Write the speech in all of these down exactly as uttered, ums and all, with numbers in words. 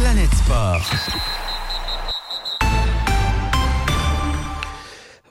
Planète Sport.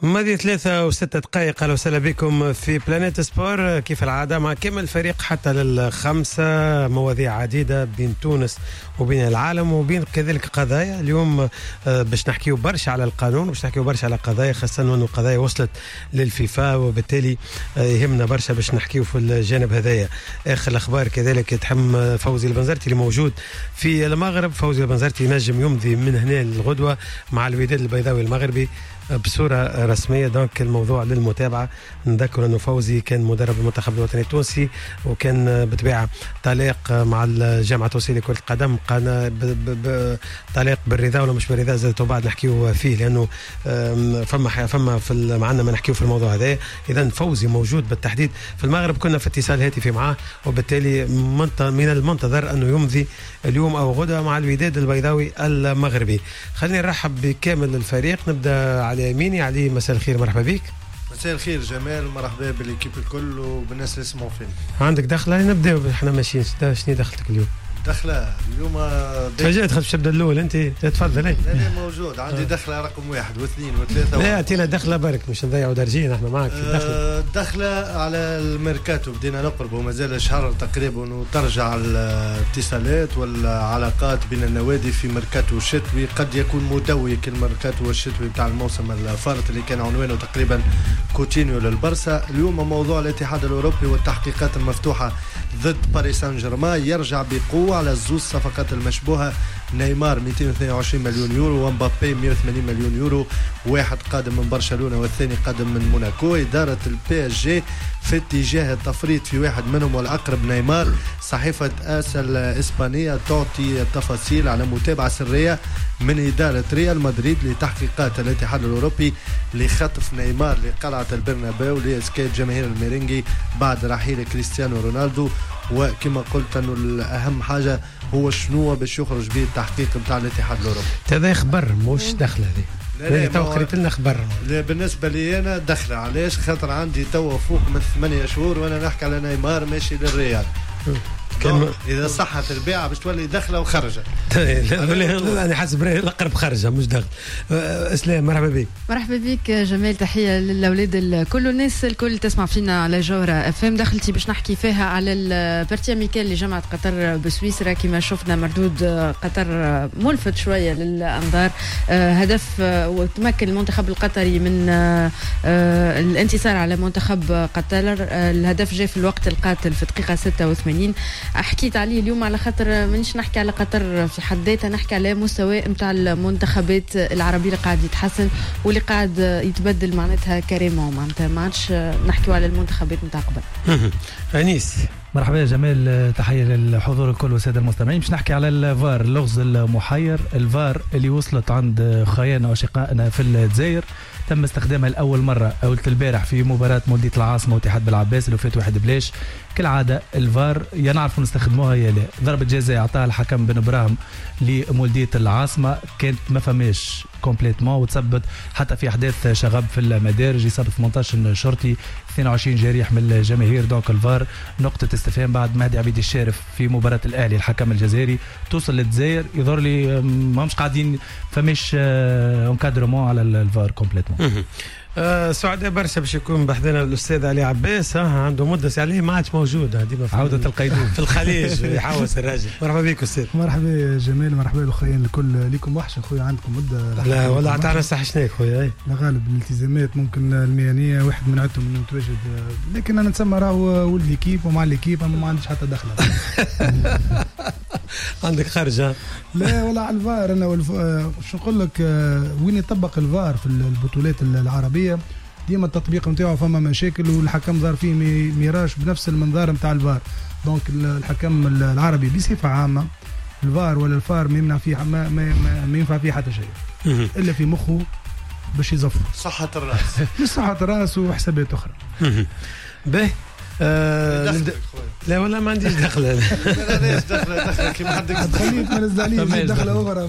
ماضي ثلاثة وستة دقائق. أهلا وسهلا بكم في Planète Sport كيف العادة مع كامل الفريق حتى للخمسة. مواضيع عديدة بين تونس وبين العالم وبين كذلك قضايا. اليوم باش نحكيو برشا على القانون وباش نحكيو برشا على قضايا، خاصة أنه القضايا وصلت للفيفا وبالتالي يهمنا برشا باش نحكيو في الجانب هذايا. آخر الأخبار كذلك تحم فوزي البنزرتي اللي موجود في المغرب. فوزي البنزرتي ينجم يمضي من هنا للغدوة مع الوداد البيضاوي المغربي بصورة رسمية، donc الموضوع للمتابعة. نذكر أنه فوزي كان مدرب المنتخب الوطني التونسي وكان بطبيعة طليق مع الجامعة التونسية لكرة القدم، طليق بالرضا ولا مش بالرضا زادت بعد نحكيو فيه، لأنه فما فما في معنا ما نحكيو في الموضوع هذا. إذا فوزي موجود بالتحديد في المغرب، كنا في اتصال هاتفي معاه، وبالتالي من المنتظر أنه يمضي اليوم أو غدا مع الوداد البيضاوي المغربي. خليني نرحب بكامل الفريق، نبدأ على يميني. علي مساء الخير، مرحبا بك. مساء الخير جمال، مرحبا بال équipe الكل وبالناس اللي يسمعوا فينا. عندك دخله؟ نبداو احنا ماشيين. شنو دخلتك اليوم؟ دخله اليوم تفاجأت خاطر تبدا الاول انت. تفضل. لا لا موجود عندي دخله رقم واحد واثنين وثلاثة. لا اعطينا دخله برك مش نضيعوا درجين احنا معك في الدخلة. الدخلة على الميركاتو بدينا نقرب ومازال شهر تقريبا وترجع الاتصالات والعلاقات بين النوادي في ميركاتو الشتوي. قد يكون مدوي كالميركاتو الشتوي بتاع الموسم الفارط اللي كان عنوانه تقريبا كوتينيو للبرسا. اليوم موضوع الاتحاد الاوروبي والتحقيقات المفتوحة ضد باريس سان جيرمان يرجع بقوة على زوج صفقات المشبوهة، نيمار مئتين واثنين وعشرين مليون يورو ومبابي مئة وثمانين مليون يورو، واحد قادم من برشلونة والثاني قادم من موناكو. إدارة البي اس جي في اتجاه التفريط في واحد منهم والأقرب نيمار. صحيفة آس الإسبانية تعطي التفاصيل على متابعة سرية من إدارة ريال مدريد لتحقيقات الاتحاد الأوروبي لخطف نيمار لقلعة البرنابيو لإسكات جماهير الميرينجي بعد رحيل كريستيانو رونالدو. وكما قلت أنه الأهم حاجة هو شنو باش يخرج به التحقيق بتاع الاتحاد الأوروبي. هذا خبر مش دخله هذه. لا لا تو قريت لنا خبر. لا بالنسبة لي أنا دخله. علاش؟ خاطر عندي تو فوق من ثمانية شهور وأنا نحكي على نيمار ماشي للريال. كان إذا صحت البيعة باش تولي دخلة وخرجة. أنا حاسب الأقرب خرجة مش دخل. إسلام مرحبا بك. مرحبا بك جمال، تحية للأولاد الكل والناس الكل تسمع فينا على جوهرة اف ام. دخلتي باش نحكي فيها على ال partie amicale اللي جمعت قطر بسويسرا. كما شفنا مردود قطر ملفت شوية للأنظار، هدف وتمكن المنتخب القطري من الانتصار على منتخب قطر. الهدف جاء في الوقت القاتل في دقيقة ستة وثمانين. حكيت عليه اليوم على خاطر مانيش نحكي على قطر في حد ذاتها، نحكي على مستوى نتاع المنتخبات العربية اللي قاعد يتحسن واللي قاعد يتبدل معناتها carrément، معناتها ما عادش نحكيو على المنتخبات نتاع قبل. أنيس مرحبا يا جمال، تحية للحضور الكل والسادة المستمعين. باش نحكي على الفار، اللغز المحير، الفار اللي وصلت عند خيانا وشقائنا في الجزائر. تم استخدامها لأول مرة أول البارح في مباراة مولدية العاصمة واتحاد بالعباس اللي فات واحد بلاش. كالعادة الفار يا نعرفوا نستخدموها يا لا. ضربة جزاء أعطاها الحكم بن إبراهيم لمولدية العاصمة كانت ما فماش complètement وتثبت حتى في أحداث شغب في المدارج، إصابة ثمانية عشر شرطي، اثنين وعشرين جريح من الجماهير. donc الفار نقطة استفهام بعد مهدي عبيد الشارف في مباراة الأهلي الحكم الجزائري توصل للجزائر يظهر لي ما مش قاعدين فماش encadrement على الفار complètement. أه سعداء برشا باش يكون بحذنا الاستاذ علي عباس، عنده مده عليه ما عادش موجود، ديما في عوده القيدوم في الخليج يحوس الراجل. مرحبا بك استاذ. مرحبا جمال، مرحبا الاخوين الكل. ليكم وحش اخويا، عندكم مده. لا والله عطانا استحشناك خويا. لا غالب الالتزامات ممكن المهنية واحد من عندهم انه متواجد، لكن انا نتسمى راهو ولد l'équipe ومع l'équipe، اما ما عنديش حتى دخله. عندك خرجه؟ لا والله على الفار انا والف... شو نقول لك، وين يطبق الفار في البطولات العربية ديما التطبيق نتاعو فما مشاكل، والحكم ظهر فيه ميراش بنفس المنظار نتاع الفار. donc الحكم العربي بصفة عامة الفار ولا الفار ما يمنع فيه، ما, ما, ما ينفع فيه حتى شيء الا في مخه باش يزفر صحة الراس. مش صحة الراس وحسابات اخرى. به آه لا والله ما عنديش دخله. لا علاش دخله؟ دخله كيما عندك خليك ما نزل عليه دخله اخرى.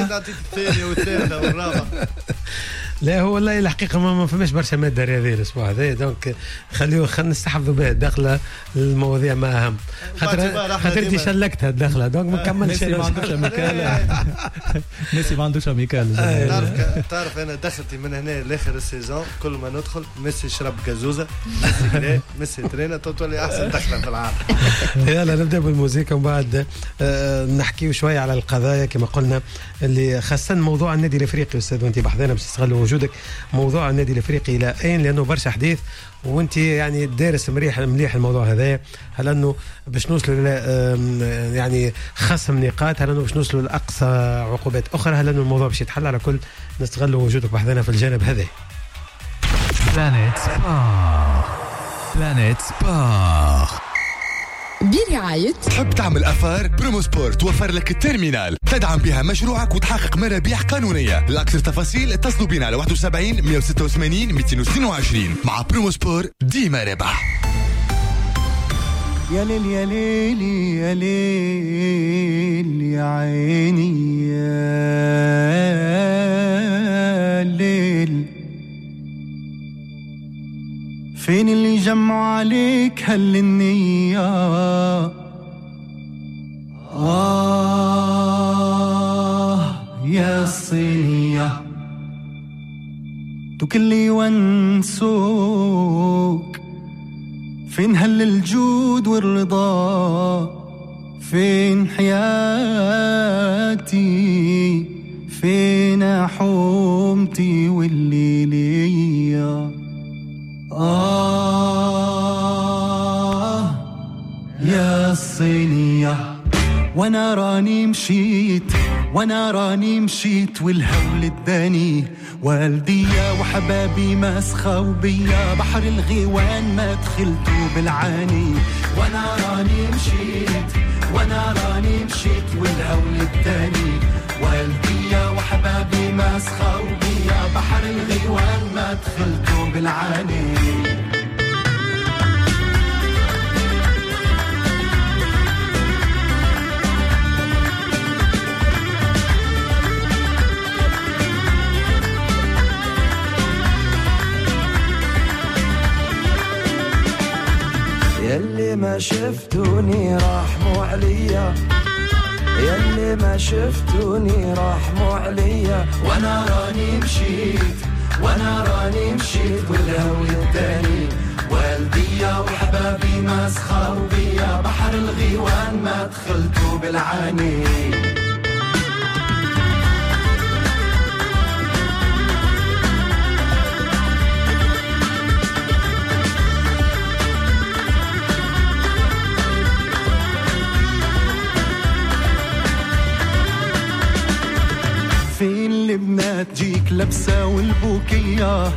نعطيك الثانية والثالثة والرابعة. لا هو والله الحقيقة ما فماش برشا مادة رياضية الاسبوع هذا، donc خليه خلينا نستحفظوا بها الدخلة للمواضيع ما اهم، خاطر خاطر انت شلكتها الدخلة donc ما نكملش. ميسي ما عندوش amicale، ميسي ما عندوش amicale. تعرف تعرف انا دخلتي من هنا لاخر ال saison كل ما ندخل ميسي شرب كازوزه، ميسي كلا، ميسي ترينا، تولي احسن دخله في العالم. يلا نبدا بالموسيقى ومن بعد نحكيو شوية على القضايا كما قلنا اللي خاصة موضوع النادي الافريقي. استاذ وانت بحذانا باش تستغل وجودك موضوع النادي الافريقي الى اين، لانه برشا حديث وانت يعني دارس مريح مليح الموضوع هذا. هل انه باش نوصلوا الى يعني خصم نقاط، هل انه باش نوصلوا لاقصى عقوبات اخرى، هل انه الموضوع باش يتحل؟ على كل نستغل وجودك بحذانا في الجانب هذا. Planète Sport، Planète Sport برعاية تحب تعمل affaire؟ بروموسبور توفر لك ال terminal تدعم بها مشروعك وتحقق مرابيح قانونية. لأكثر تفاصيل اتصلوا بنا على واحد وسبعين مئة وستة وثمانين مئتين واثنين وعشرين. مع بروموسبور ديما ربح. يا ليل يا ليل يا ليل يا عيني يا ليل، فين اللي جمعوا عليك هل النية؟ آه يا الصينية دوك اللي يونسوك، فين هل الجود والرضا؟ فين حياتي؟ فين حومتي واللي ليا؟ آه يا الصينية. وانا راني مشيت، وانا راني مشيت والهول اداني، والديا وحبابي ما سخاو بيا، بحر الغيوان ما دخلتو بالعاني. وانا راني مشيت، وانا راني مشيت والهول اداني، والديا وحبابي ما سخاو بيا، بحر الغيوان ما دخلتو بالعاني. يلي ما شفتوني رحموا عليا، يلي ما شفتوني رحموا عليا، وانا راني مشيت، وانا راني مشيت والهول الداني، والديا وحبابي ما سخاو بيا، بحر الغيوان ما دخلتو بالعاني. فين البنات جيك لبسة والبوكية،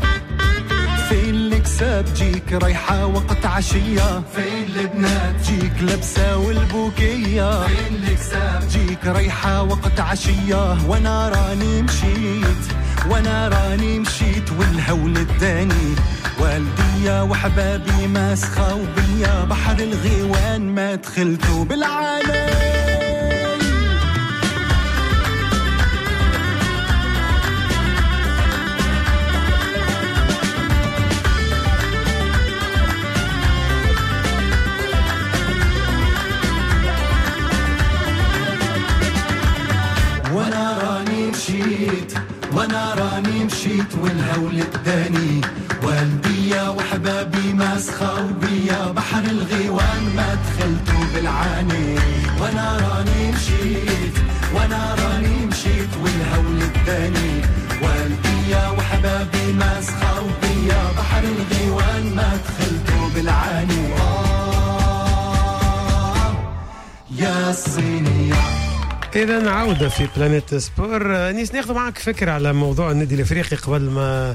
فين الكساب جيك رايحة وقت عشية، فين البنات جيك لبسة والبوكية، فين الكساب جيك رايحة وقت عشية، وانا راني مشيت، وانا راني مشيت والهول الداني، والديا وحبابي ما سخاو بيا، بحر الغيوان ما دخلتو بالعالم. وانا راني مشيت والهول الداني، والديا وحبابي ما سخاو بيا، بحر الغيوان ما دخلتو بالعاني. وانا راني مشيت، وانا راني مشيت والهول الداني، والديا وحبابي ما سخاو بيا، بحر الغيوان ما دخلتو بالعاني. آه يا الصينية. إذا عودة في بلانيت سبور. أنيس ناخذ معك فكرة على موضوع النادي الإفريقي قبل ما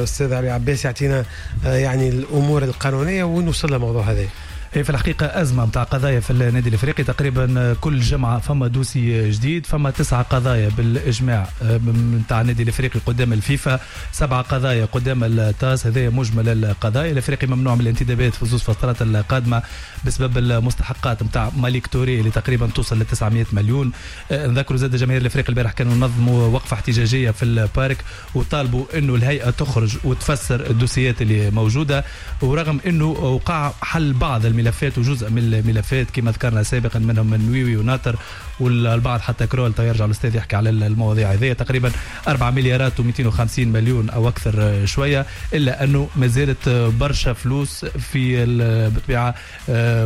أستاذ علي عباس يعطينا يعني الأمور القانونية وين وصل الموضوع هذا. هي في الحقيقة أزمة متاع قضايا في النادي الإفريقي، تقريبا كل جمعة فما dossier جديد، فما تسعة قضايا بالإجماع متاع النادي الإفريقي قدام الفيفا، سبعة قضايا قدام التاس، هذا مجمل القضايا. الإفريقي ممنوع من الانتدابات في زوج فترات القادمة بسبب المستحقات متاع مالك توري اللي تقريبا توصل ل تسعمية مليون. نذكروا زاد جماهير الإفريقي البارح كانوا نظموا وقفة احتجاجية في ال parc وطالبوا إنه الهيئة تخرج وتفسر الدوسيات اللي موجودة، ورغم إنه وقع حل بعض الملفات وجزء من الملفات كما ذكرنا سابقا منهم النويوي وناطر والبعض حتى كرول، يرجع الاستاذ يحكي على المواضيع هذه. تقريبا أربعة مليارات ومئتين وخمسين مليون او اكثر شوية، الا انه ما زالت برشا فلوس في بالطبيعة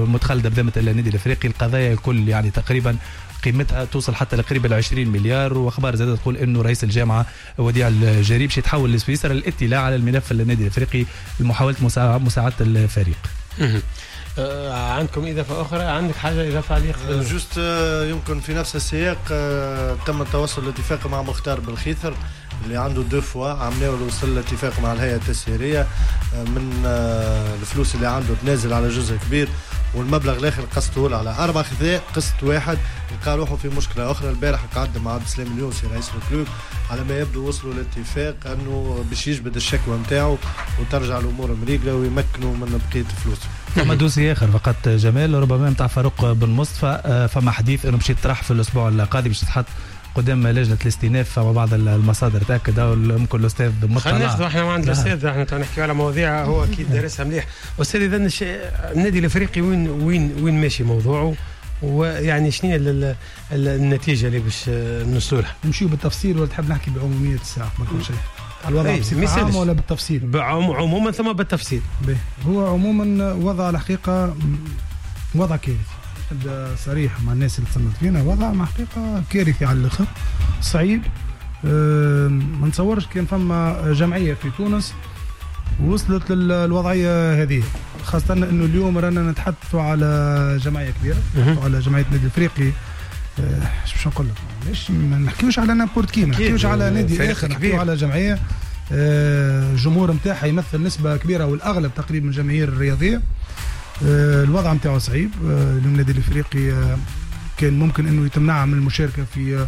متخلده بذمه النادي الافريقي. القضايا الكل يعني تقريبا قيمتها توصل حتى لقريب ال عشرين مليار. واخبار زادت تقول انه رئيس الجامعة وديع الجريب باش يتحول لسويسرا للاطلاع على الملف النادي الافريقي لمحاولة مساعدة الفريق. عندكم إضافة أخرى؟ عندك حاجة إضافة عليك؟ juste يمكن في نفس السياق تم التوصل لاتفاق مع مختار بالخيثر اللي عنده deux fois عملناه وصل لاتفاق مع الهيئة التسييرية من الفلوس اللي عنده تنازل على جزء كبير، والمبلغ الآخر قسطه على أربع خذاء قسط واحد. لقى روحه في مشكلة أخرى البارح قعد مع عبد السلام اليونسي رئيس ال club، على ما يبدو وصلوا لاتفاق أنه باش يجبد الشكوى متاعه وترجع الأمور مريقلة ويمكنوا من بقية فلوسه. فما dossier آخر فقط جمال ربما متاع فاروق بن مصطفى، فما حديث أنه باش يطرح في الأسبوع القادم باش يتحط قدام لجنة الاستئناف، فما بعض المصادر تأكد أو ممكن الأستاذ مطلع. خلينا ناخذ احنا ما عند الأستاذ، احنا نحكي على مواضيع هو أكيد دارسها مليح. أستاذ إذا النادي الإفريقي وين وين وين ماشي موضوعه، ويعني شنو هي النتيجة اللي باش نوصلوا لها؟ نمشيو بالتفصيل ولا تحب نحكي بعمومية الساعة قبل كل شيء؟ الوضع بصفة عامة ولا بالتفصيل؟ عموما ثم بالتفصيل. به. هو عموما وضع الحقيقة وضع كارثي، نبدا صريح مع الناس اللي تصنت فينا، وضع مع حقيقة كارثي على الآخر، صعيب. أه ما نتصورش كان فما جمعية في تونس وصلت للوضعية هذه، خاصة انه اليوم رانا نتحدثوا على جمعية كبيرة، على جمعية النادي الافريقي. اش باش نقول لك، مش ما نحكيوش على n'importe qui، ما نحكيوش على نادي اخر، نحكيو على جمعية الجمهور نتاعها يمثل نسبة كبيرة والاغلب تقريبا من الجماهير الرياضية. الوضع نتاعو صعيب. اليوم النادي الافريقي كان ممكن انه يتمنع من المشاركة في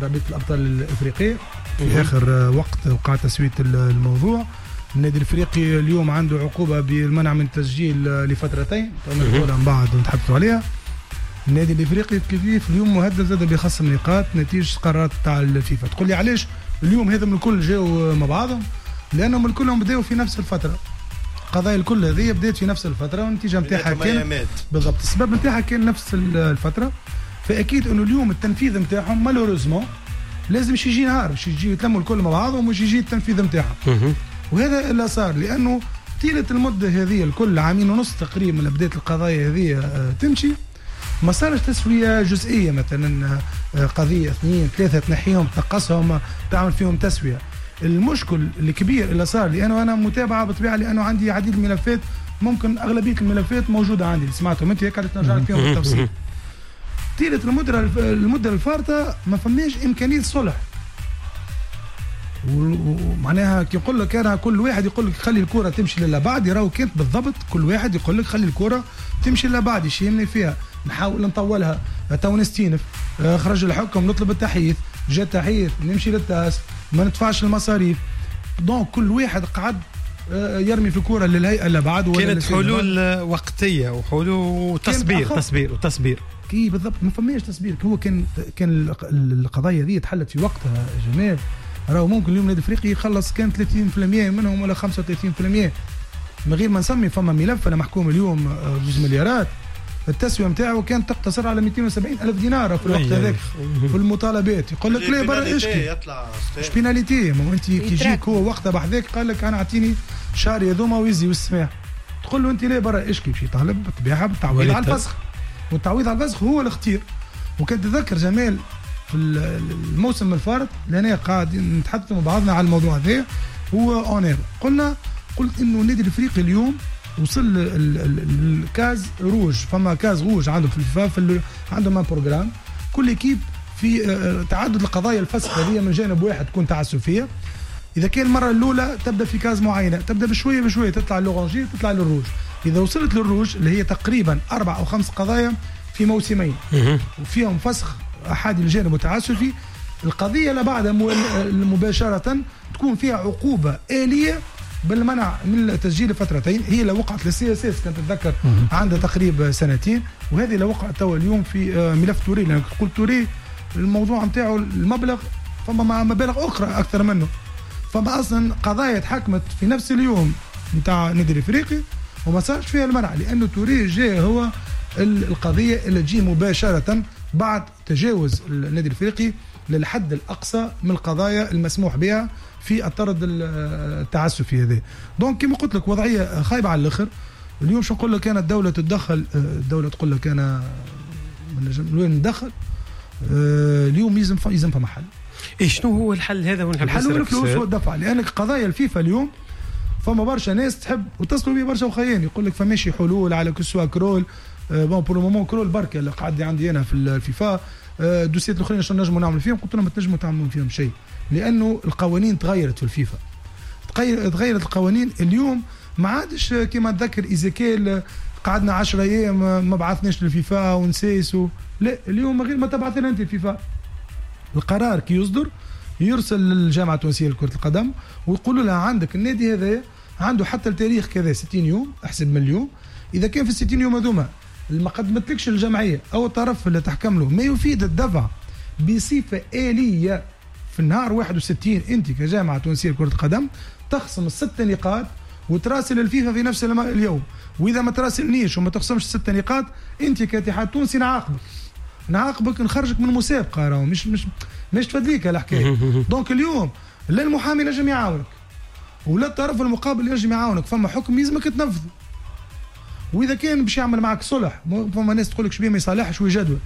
رابطة الابطال الافريقية في اخر وقت وقع تسوية الموضوع. النادي الافريقي اليوم عنده عقوبه بالمنع من التسجيل لفترتين، نقولها من بعد ونتحدثوا عليها. النادي الافريقي كيف اليوم مهدد زاد بخصم نقاط نتيجة قرارات تاع الفيفا. تقول لي علاش اليوم هذم الكل جاوا مع بعضهم؟ لانهم الكلهم بداوا في نفس الفترة، القضايا الكل هذه بدات في نفس الفترة والنتيجة نتاعها كان بالضبط السبب نتاعها كان نفس الفترة. فاكيد انه اليوم التنفيذ نتاعهم malheureusement لازم باش يجي نهار باش يجي يتلموا الكل مع بعضهم وباش يجي التنفيذ نتاعهم. وهذا اللي صار، لانه طيلة المدة هذه الكل عامين ونص تقريبا من بداية القضايا هذه تمشي، ما صارش تسويه جزئية، مثلا قضية اثنين ثلاثة تنحيهم تنقصهم تعمل فيهم تسويه. المشكل الكبير اللي صار، لانه انا متابعه بالطبيعة، لانه عندي عديد الملفات، ممكن اغلبية الملفات موجودة عندي اللي سمعتهم انت هيك نرجع لك فيهم بالتفصيل. طيلة المدة المدة الفارطه ما فماش امكانية صلح، ومعناها كي نقول لك انا كل واحد يقول لك خلي الكره تمشي للا بعد، راهو كانت بالضبط كل واحد يقول لك خلي الكره تمشي للا بعد، يشيمني فيها نحاول نطولها تو نستينف، خرج الحكم نطلب التحييث، جا التحييث نمشي للتاس ما ندفعش المصاريف. donc كل واحد قعد يرمي في الكره للهيئة اللي بعد. كانت حلول وقتية وحلول وتصبير تصبير وتصبير كي بالضبط ما فماش تصبير. هو كان كان القضايا هذه تحلت في وقتها جمال، راهو ممكن اليوم النادي الافريقي يخلص كان ثلاثين بالمية منهم ولا خمسة وثلاثين بالمية من غير ما نسمي. فما ملف انا محكوم اليوم جوج مليارات، التسوية نتاعو كانت تقتصر على مئتين وسبعين الف دينار في الوقت هذاك في المطالبات. يقول لك لا برا اشكي اش pénalité، ما انت كي يجيك هو وقتها بحذاك قال لك انا اعطيني شهر هذوما ويزي والسماح، تقول له انت لا برا اشكي، باش يطالب بالطبيعة بالتعويض على الفسخ، والتعويض على الفسخ هو الاختيار. وكان تذكر جمال في الموسم الفارط لأنا قاعد نتحدث مع بعضنا على الموضوع هذا هو on air، قلنا قلت انه النادي الافريقي اليوم وصل ال case rouge، فما case rouge عنده في الفيفا، في عندهم un programme كل équipe في تعدد القضايا الفسخ هذه من جانب واحد تكون تعسفيه. اذا كان المرة الاولى تبدا في case معينة، تبدا بشوية بشوية تطلع l'oranger تطلع للروج، اذا وصلت للروج اللي هي تقريبا اربع او خمس قضايا في موسمين وفيهم فسخ احادي الجانب وتعسفي، القضية اللي بعدها مباشرة تكون فيها عقوبه آليه بالمنع من التسجيل لفترتين. هي اللي وقعت لل CSS كانت تتذكر عندها تقريبا سنتين، وهذه اللي وقعت توا اليوم في ملف توري. لان تقول توري الموضوع نتاعو المبلغ، فما مع مبالغ اخرى اكثر منه، فما اصلا قضايا تحكمت في نفس اليوم نتاع النادي الافريقي وما صارش فيها المنع، لانه توري جاء هو القضية اللي تجي مباشرة بعد تجاوز النادي الافريقي للحد الاقصى من القضايا المسموح بها في الطرد التعسفي هذا. donc كما قلت لك وضعية خايبة على الاخر. اليوم شو نقول لك انا، الدولة تتدخل، الدولة تقول لك انا وين ندخل. اليوم يلزم يلزم فما حل. إيه شنو هو الحل هذا؟ الحل هو الفلوس والدفع، لان قضايا الفيفا اليوم فما برشا ناس تحب وتصلوا بي برشا وخيان يقول لك فماشي حلول على que ce soit كرول. bon pour le moment كرول بركة اللي قعد عندي انا في الفيفا، دوسيات الاخرين شنو نجموا نعمل فيهم؟ قلت لهم ما تنجموا تعملوا فيهم شيء، لانه القوانين تغيرت في الفيفا، تغيرت القوانين اليوم. ما عادش كما تذكر إيزيكيل قعدنا عشرة ايام ما بعثناش للفيفا ونسيسوا، لا اليوم غير ما تبعث لنا انت الفيفا. القرار كي يصدر يرسل للجامعة التونسية لكرة القدم ويقولوا لها عندك النادي هذا عنده حتى التاريخ كذا ستين يوم، احسب من اليوم. اذا كان في ستين يوم هذوما ما قدمتلكش الجمعية او الطرف اللي تحكم له ما يفيد الدفع بصفة آليه في النهار واحد وستين، انت كجامعه تونسية لكرة القدم تخصم الست نقاط وتراسل الفيفا في نفس اليوم. واذا ما تراسلنيش وما تخصمش الست نقاط انت كاتحاد تونسي نعاقبك، نعاقبك نخرجك من المسابقة، راهو مش مش مش تفدليك الحكاية. donc اليوم لا المحامي نجم يعاونك ولا الطرف المقابل ينجم يعاونك، فما حكم يلزمك تنفذه. واذا كان باش يعمل معك صلح، فما ناس تقول لك شبيه ما يصالحش ويجدول،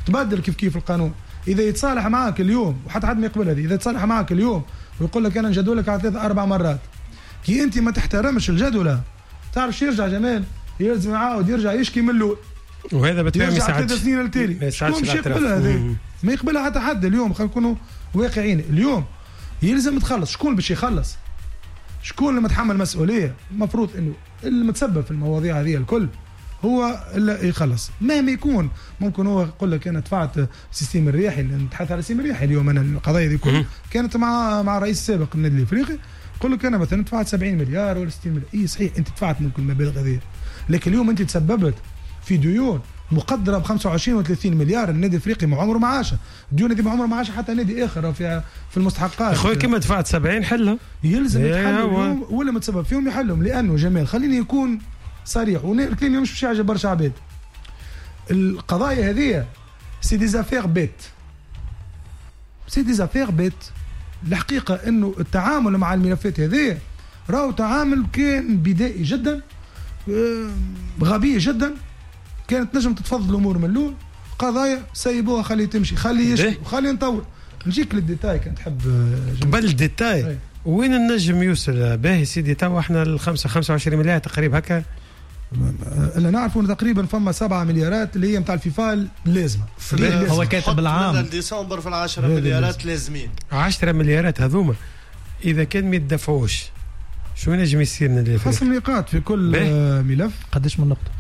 تبدل كيف كيف القانون. اذا يتصالح معك اليوم وحتى حد ما يقبل هذه، اذا يتصالح معك اليوم ويقول لك انا نجدولك على ثلاث اربع مرات، كي انت ما تحترمش الجدوله تعرف شو يرجع جمال؟ يلزم يعاود يرجع يشكي من الاول، وهذا بالطبيعة ما يساعدش. ثلاث سنين التالي شكون باش يقبلها هذه؟ ما يقبلها حتى حد. اليوم خلينا نكونوا واقعيين، اليوم يلزم تخلص. شكون باش يخلص؟ شكون اللي متحمل مسؤولية؟ المفروض انه المتسبب في المواضيع هذه الكل هو اللي يخلص مهما يكون. ممكن هو يقول لك انا دفعت système الرياحي، نتحدث على système الرياحي اليوم، انا القضايا دي كلها كانت مع مع الرئيس السابق للنادي الافريقي، يقول لك انا مثلا دفعت سبعين مليار ولا ستين مليار. اي صحيح انت دفعت ممكن المبالغ هذه، لكن اليوم انت تسببت في ديون مقدره ب خمسة وعشرين و ثلاثين مليار. النادي الافريقي ما عمره ما عاش الديون هذه، ما عمره ما عاش حتى نادي اخر في في المستحقات. اخويا كما دفعت سبعين حلها، يلزم يتحلوا ولا متسبب فيهم يحلهم. لانه جمال خليني يكون صريح، والكلام مش باش يعجب برشا عباد، القضايا هذه c'est des affaires bêtes، c'est des affaires bêtes. الحقيقة انه التعامل مع الملفات هذه راهو تعامل كان بدائي جدا، غبي جدا، كانت نجم تتفضل الامور من الاول. قضايا سيبوها خلي تمشي، خلي يشكي وخلي نطور. نجيك لل détail كان تحب. قبل ال détail وين النجم يوصل؟ باهي سيدي توا احنا الخمسة خمسة وعشرين مليار تقريبا هكا اللي نعرفوا تقريبا فما سبعة مليارات اللي هي نتاع الفيفا لازمه. هو كاتب العام ديسمبر في العشرة مليارات لازمين. عشرة مليارات هذوما اذا كان ما يدفعوش شو نجم يصير لنا؟ خصم نقاط في كل ملف. قداش من نقطة؟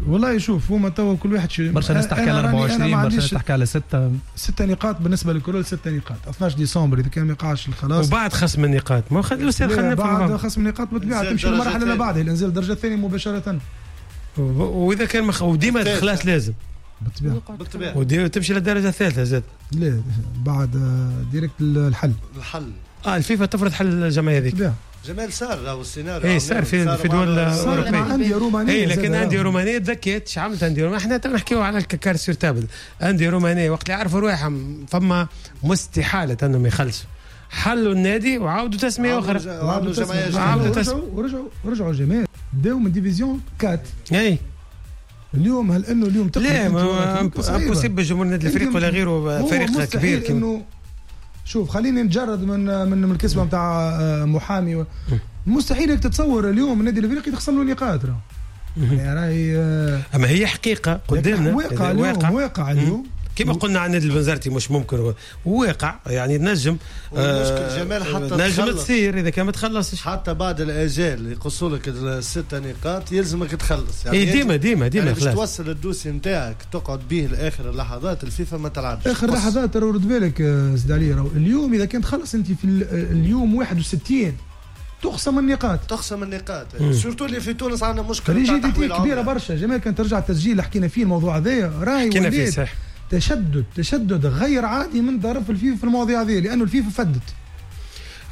والله شوف هما توا كل واحد شي برشا ناس تحكي على أربعة وعشرين، برشا ناس تحكي على ستة. ستة نقاط بالنسبة للكرول، ستة نقاط اثناش ديسمبر اذا كان ما يقعش الخلاص وبعد خصم النقاط. ما خلي الاستاذ خلينا بعد خصم النقاط بالطبيعة تمشي للمرحلة اللي بعدها، الانزال الدرجة الثانية مباشرة. واذا كان مخ... وديما الخلاص لازم بالطبيعة بالطبيعة وديما تمشي للدرجة الثالثة زاد. لا بعد direct الحل الحل اه الفيفا تفرض حل الجمعية هذيك. جمال صار راهو السيناريو. اي صار في في دول اوروبية، اندية رومانية. اي لكن اندية رومانية تذكيت اش عملت اندية رومانية. احنا نحكيو على ال cartes sur table. اندية رومانية وقت اللي عرفوا رواحهم فما مستحاله انهم يخلصوا، حلوا النادي وعاودوا تسميه اخرى، وعاودوا جمعية جديدة، ورجعوا ورجعوا ورجعوا جمال بداو من division أربعة. اي اليوم هل انه اليوم لا impossible جمهور النادي الافريقي ولا غيره فريق كبير كما شوف خليني نتجرد من من الكسبه نتاع محامي و... مستحيل انك تتصور اليوم النادي الافريقي تخصم له نقاط راه. يعني راهي اما هي حقيقة قدامنا، واقع اليوم، واقع اليوم كما قلنا عن النادي البنزرتي مش ممكن وواقع يعني نجم آه جمال حتى نجم تصير اذا كان ما تخلصش حتى بعد الاجال يقصوا لك الست نقاط يلزمك تخلص يعني ديما ديما ديما يعني باش توصل ال dossier نتاعك تقعد به لاخر اللحظات الفيفا ما تلعبش اخر لحظات. رد بالك سيد علي راهو اليوم اذا كان تخلص انت في اليوم واحد وستين تخصم النقاط تخصم النقاط surtout اللي في تونس عندنا مشكلة rigidité كبيرة برشا جمال. كان ترجع التسجيل حكينا فيه الموضوع هذايا راهي ولات تشدد تشدد غير عادي من طرف الفيفا في المواضيع هذه لانه الفيفا فدت.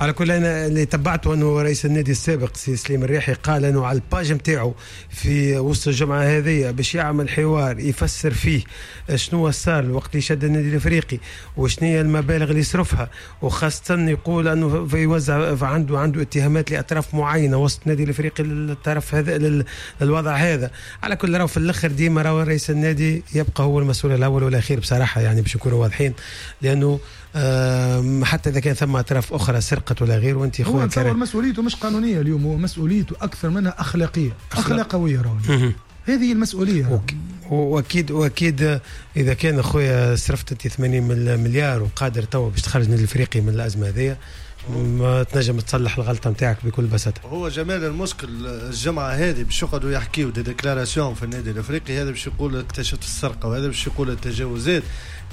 على كل انا اللي تبعته انه رئيس النادي السابق سي سليم الريحي قال انه على ال page نتاعو في وسط الجمعة هذه باش يعمل حوار يفسر فيه شنو صار الوقت اللي شد النادي الافريقي وشنو هي المبالغ اللي صرفها، وخاصة يقول انه يوزع عنده عنده اتهامات لاطراف معينة وسط النادي الافريقي للطرف هذا للوضع هذا. على كل راهو في الاخر ديما راهو رئيس النادي يبقى هو المسؤول الاول والاخير بصراحة، يعني باش نكونوا واضحين، لانه حتى اذا كان ثم اطراف اخرى سرقت ولا غير وانت خويا هو مسؤوليته مش قانونية اليوم، هو مسؤوليته اكثر منها اخلاقية اخلاقويه راهو هذه المسؤولية. واكيد واكيد اذا كان خويا صرفت انت ثمانين مليار وقادر توا باش تخرج النادي الافريقي من الازمة هذه، ما تنجم تصلح الغلطة نتاعك بكل بساطة. هو جمال المشكل الجمعة هذه باش يقعدوا يحكيوا des déclarations في النادي الافريقي، هذا باش يقول اكتشفت السرقة وهذا باش يقول التجاوزات،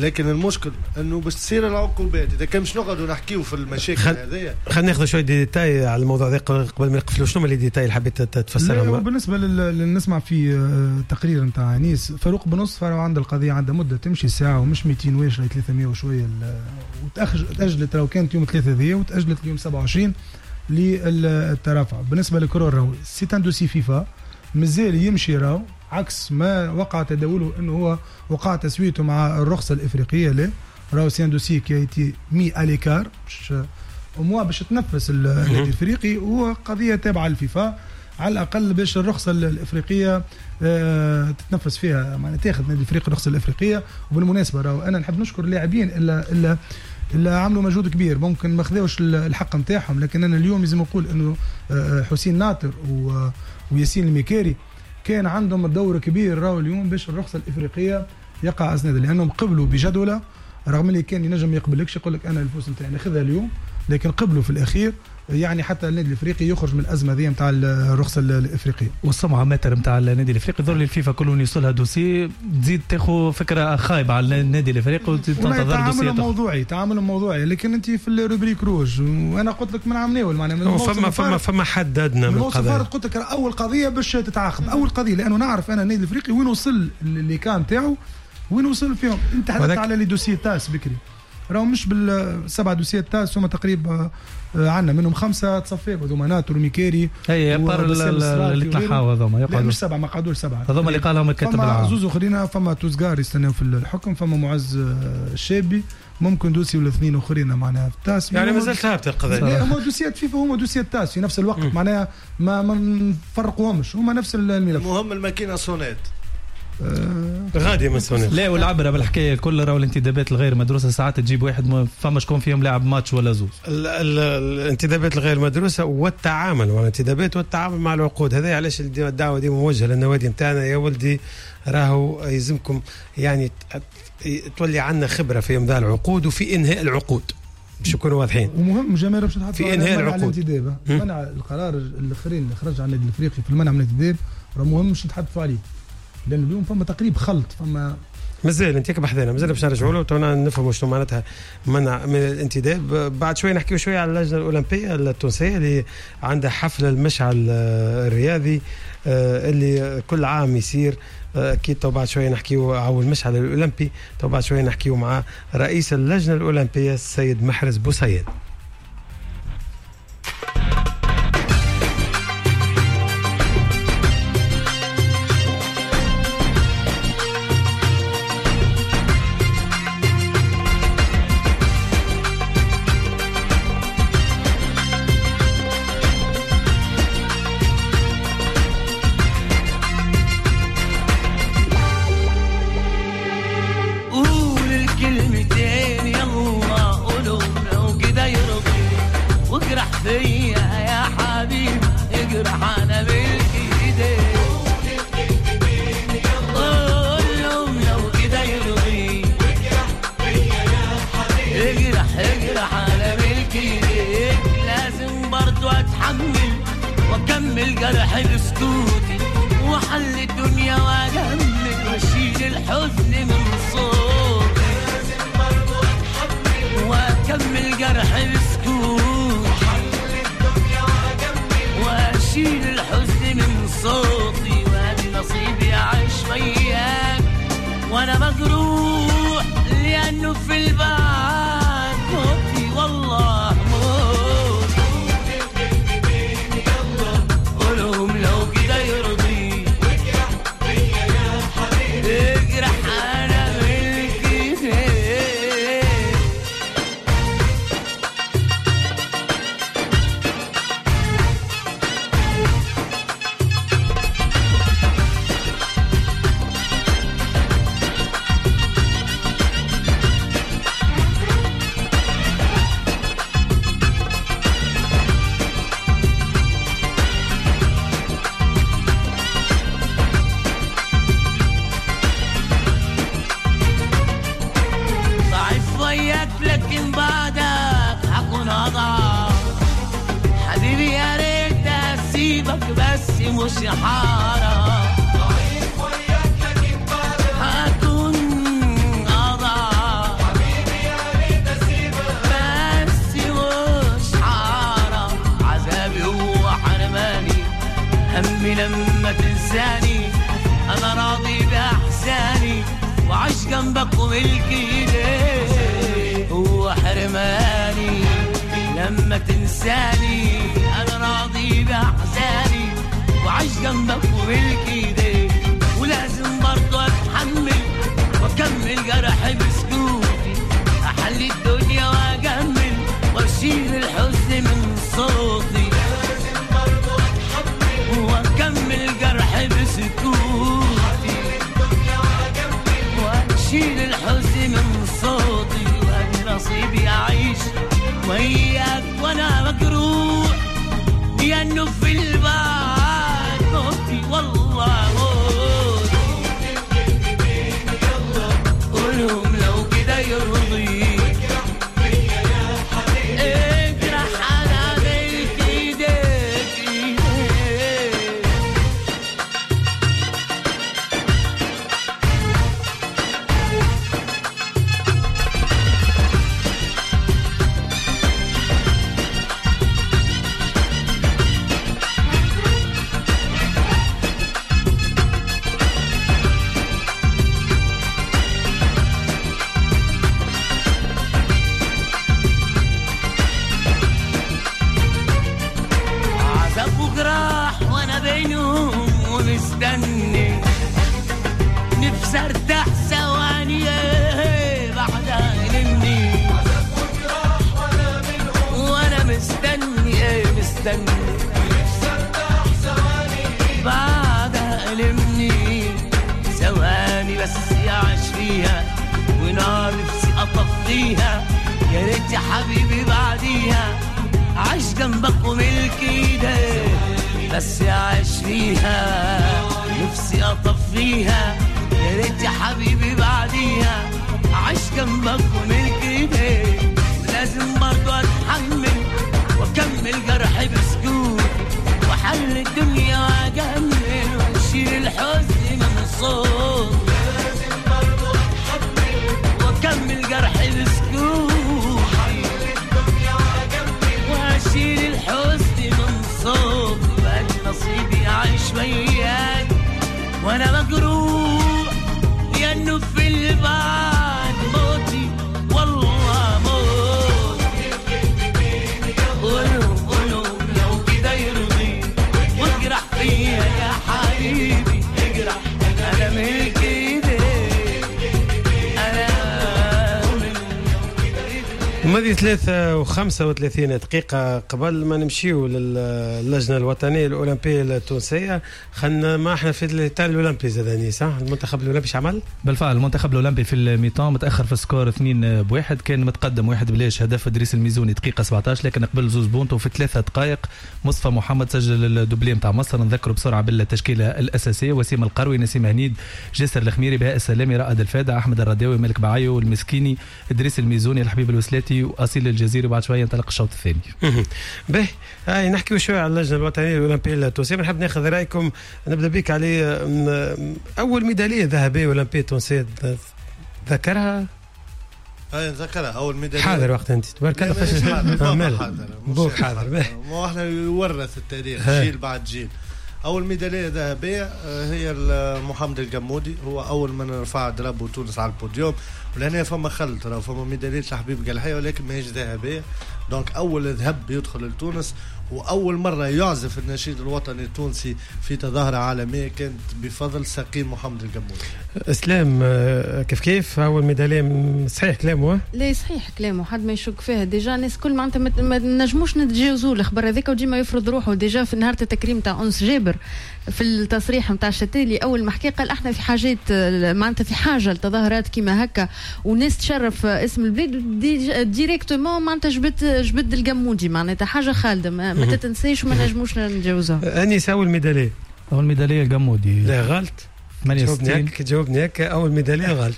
لكن المشكل انه باش تصير العقوبات اذا كان باش نقعدوا نحكيوا في المشاكل خل... هذيا. خلينا ناخذ شوية des détails على الموضوع هذا قبل ما نقفلوا. شنو هما les détails اللي حبيت تفسرهم؟ بالنسبة لل نسمع في تقرير نتاع انيس فاروق بنص فاروق عند القضية عندها مده تمشي ساعة ومش مئتين واش ثلاثمية وشوية، وتاجلت لو كانت يوم ثلاثة ذي وتاجلت اليوم سبعة وعشرين للترافع. بالنسبة لكرور راهو c'est un dossier فيفا مازال يمشي راهو عكس ما وقع تداوله انه هو وقع تسويته مع الرخصة الافريقية. لا راهو c'est un dossier qui a été mis à l'écart باش au moins باش تنفس النادي الافريقي، وهو قضية تابعه للفيفا على الاقل باش الرخصة الافريقية تتنفس فيها، معناها تاخذ النادي الافريقي الرخصة الافريقية. وبالمناسبة راهو انا نحب نشكر اللاعبين الا الا اللي عملوا مجهود كبير، ممكن ما خذاوش الحق نتاعهم، لكن انا اليوم لازم نقول انه حسين ناطر وياسين الميكاري كان عندهم دور كبير راهو اليوم باش الرخصة الافريقية يقع اسناد، لانهم قبلوا بجدوله رغم اللي كان ينجم يقبلكش يقول لك انا الفلوس نتاعي ناخذها اليوم، لكن قبلوا في الاخير يعني حتى النادي الافريقي يخرج من الازمة ذي نتاع الرخصة الافريقية. والسمعة ماتر نتاع النادي الافريقي ظل الفيفا كلهم يوصلها dossier تزيد تاخذ فكرة خايبة على النادي الافريقي وتزيد تنتظر dossier. تعامل موضوعي تعامل موضوعي، لكن انت في ال rubrique rouge وانا قلت لك من عام ناول معناها فما فما فما حد ادنى من القضايا. قلت لك اول قضية باش تتعاقب اول قضية، لانه نعرف انا النادي الافريقي وين وصل اللي كان تاعو وين وصل فيهم. انت حدثت على les dossiers TAS بكري راهو مش بالسبع dossiers TAS هما تقريبا عندنا منهم خمسة تصفيق هذوما ناتر وميكاري اي بار اللي تنحاو هذوما يقعدوا مش سبعة ما قعدوش سبعة هذوما اللي قالهم الكاتب العام. فما زوز اخرين، فما توزكار يستناو في الحكم، فما معز الشابي، ممكن dossier ولا اثنين اخرين معناها في ال TAS، يعني مازالت ثابتة القضية. هما dossier ات فيفا هما dossier ات TAS في نفس الوقت معناها ما ما نفرقوهمش، هما نفس الملف. المهم الماكينة صونات غادي من سنة. لا والعبرة بالحكاية الكل راهو الانتدابات الغير مدروسة ساعات تجيب واحد ما فما شكون فيهم لاعب ماتش ولا زوز. ال ال الانتدابات الغير مدروسة والتعامل والانتدابات والتعامل مع العقود، هذا علاش الدعوة دي موجهة للنوادي نتاعنا يا ولدي راهو يلزمكم يعني تولي عندنا خبره في امضاء العقود وفي انهاء العقود باش نكونوا واضحين. ومهم جمال باش نحط في انهاء العقود الانتداب، منع القرار الاخرين اللي خرج عن النادي الافريقي في المنع من الانتداب راه مهم باش نتحدثوا عليه، لأن اليوم فما تقريب خلط فما مازال انت بحذانا مازال باش نرجعوا له تونا نفهموا شنو معناتها منع من الانتداب. بعد شوي نحكيو شوية على اللجنة الاولمبية التونسية اللي عندها حفل المشعل الرياضي اللي كل عام يصير، اكيد تو بعد شوية نحكيو على المشعل الاولمبي، تو بعد شوية نحكيو مع رئيس اللجنة الاولمبية السيد محرز بوسيد. قول الكلمتين يلا قولوا لو كده. اجرح انا ملك ايديك. لازم برضو اتحمل واكمل جرح بسكوتي، واحل الدنيا واجمل واشيل الحزن من صوتي. لازم برضو اتحمل واكمل جرح بسكوتي، واحل الدنيا واجمل واشيل الحزن من صوتي. وادي نصيبي اعيش وياك وانا مجروح، لانه في البعد موتي والله موت. قولهم لو كده يرضيك واجرح بيا يا حبيبي، اجرح انا ملك ايديك. ضعيف وياك لكن بعدك هكون اضعف حبيبي، يا ريت اسيبك بس مش حارة. ضعيف وياك لكن بعدك هكون اضعف حبيبي، يا ريت اسيبك بس مش حارة. عذابي هو حرماني، همي لما تنساني، انا راضي باحزاني وعاش جنبك وملك ايديك. هو حرماني لما تنساني، انا راضي باحزاني وعاش جنبك وملك ايديك. ولازم برضو اتحمل واكمل جرحي بسكوتي، احلي الدنيا واجمل واشيل الحزن من صوتي. لازم برضو اتحمل واكمل جرحي بسكوتي، واشيل الحزن من صوتي. وادي نصيبي اعيش وياك وانا مجروح، لانه في البعد موتي والله موت. قولهم لو كده يرضيك اجرح انا ملك ايديك ايديك. عذاب وجراح وانا بينهم ومستني، نفسي ارتاح ثواني بعدها يلمني. عذاب وجراح وانا بينهم وانا مستني، ايه مستني، نفسي ارتاح ثواني بعدها يلمني. ثواني بس يعيش فيها ونار نفسي اطفيها، يا ريت يا حبيبي بعديها عايش جنبك وملك ايديك. بس اعيش فيها نفسي اطفيها، يا ريت يا حبيبي بعديها عايش جنبك وملك ايديك. لازم برضو اتحمل واكمل جرحي بسكوتي، واحل الدنيا واجمل واشيل الحزن من صوتي. لازم برضو اتحمل واكمل جرحي بسكوتي، واشيل الحزن من صوتي. وادي نصيبي اعيش وياك وانا مجروح، لانه في البعد موتي والله موت. قولهم قولهم لو كده يرضيك واجرح فيا يا حبيبي، اجرح انا ملك ايديك، انا الماضي ثلاثة وخمسة وثلاثين دقيقة قبل ما نمشيو للجنة الوطنية الأولمبية التونسية، خلنا ما احنا في الإطار الأولمبي زاد صح؟ المنتخب الأولمبي عمل؟ بالفعل المنتخب الأولمبي في ال mi-temps متأخر في ال score اثنين بواحد، كان متقدم واحد بلاش هدف إدريس الميزوني دقيقة سبعة عشر، لكن قبل زوز بونتو في ثلاثة دقائق مصطفى محمد سجل ال doublé نتاع مصر. نذكره بسرعة بالتشكيلة الأساسية: وسيم القروي، نسيم هنيد، جاسر الخميري، بهاء السلامي، رائد الفادع، أحمد الرداوي، مالك بعيو، المسكيني، إدريس الميزوني، الحبيب الوسلاتي، الشتي واصيل الجزيري، وبعد شوية ينطلق الشوط الثاني. به هاي نحكيو شوية على اللجنة الوطنية الاولمبية التونسية، نحب ناخذ رايكم. نبدا بك علي، اول ميدالية ذهبية اولمبيه تونسية ذكرها؟ اي نذكرها اول ميدالية. حاضر وقت انت تبارك الله. فاش حاضر بوك حاضر، ما احنا يورث التاريخ جيل بعد جيل. اول ميدالية ذهبية هي محمد القمودي، هو اول من رفع drapeau تونس على البوديوم. ولهنا فما خلط، راه فما ميدالية لحبيب قلحيه ولكن ماهيش ذهبية. donc اول ذهب يدخل لتونس، واول مرة يعزف النشيد الوطني التونسي في تظاهرة عالمية كانت بفضل سقيم محمد القمودي. اسلام كيف كيف اول ميدالية؟ صحيح كلامه؟ لا صحيح كلامه، حد ما يشك فيها. déjà الناس كل معناتها ما نجموش نتجاوزوا الخبر هذاك، وديما يفرض روحه. déjà في نهار التكريم تاع انس جابر في التصريح نتاع الشتالي اول ما حكى قال احنا في حاجات معناتها في حاجة لتظاهرات كيما هكا وناس تشرف اسم البلاد directement معناتها جبد جبد القمودي، معناتها حاجة خالدة ما, ما تتنساش وما نجموش نتجاوزوها. انيس اول ميدالية؟ اول ميدالية القمودي. لا غلط، ثمانية وستين. جاوبني هكا اول ميدالية غلط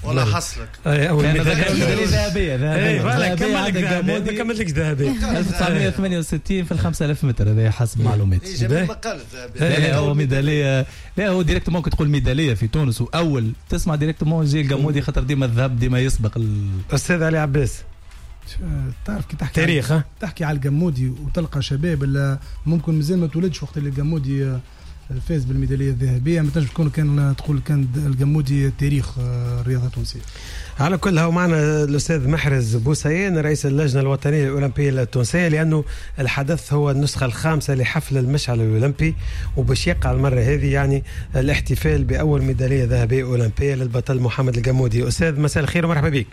والله حصلك. اي اول ميدالية ذهبية ذهبية ما كملتلكش ذهبية. ألف وتسعمية وثمانية وستين في ال خمسة آلاف متر، هذا حسب معلوماتي. ما قالت ذهبية. لا هو ميدالية، لا هو directement ممكن تقول ميدالية في تونس واول تسمع directement يجي القمودي، خاطر ديما الذهب ديما يسبق. الاستاذ علي عباس، تعرف كي تحكي تاريخ تحكي على القمودي وتلقى شباب اللي ممكن مازال ما تولدش وقت اللي القمودي فاز بالميداليه الذهبية، ما تنجم تكون كان تقول كان القمودي تاريخ الرياضة التونسية. على كل هو معنا الاستاذ محرز بوسيان رئيس اللجنة الوطنية الاولمبية التونسية، لانه الحدث هو النسخة الخامسة لحفل المشعل الاولمبي، وباش يقع المرة هذه يعني الاحتفال باول ميدالية ذهبية اولمبيه للبطل محمد القمودي. استاذ مساء الخير ومرحبا بك.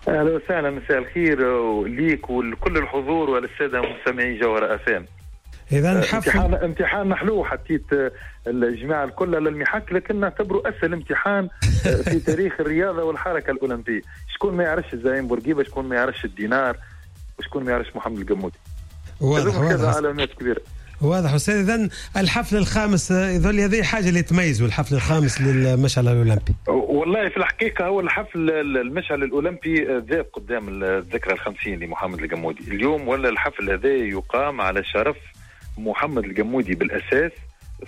اهلا وسهلا، مساء الخير ليك ولكل الحضور وللساده مستمعي جوهرة اف ام. اذا حفل امتحان امتحان محلو، حطيت الجماعة الكل للمحك، لكن نعتبره اسهل امتحان في تاريخ الرياضة والحركة الاولمبية. شكون ما يعرفش الزعيم بورقيبة، شكون ما يعرفش الدينار، وشكون ما يعرفش محمد القمودي. واضح واضح، علامات كبيرة. واضح استاذ. اذا الحفل الخامس يظل هذه حاجة اللي تميزه الحفل الخامس للمشعل الاولمبي. والله في الحقيقة هو الحفل المشعل الاولمبي ذاب قدام الذكرى الخمسين لمحمد القمودي اليوم، ولا الحفل هذا يقام على شرف محمد القمودي بالاساس،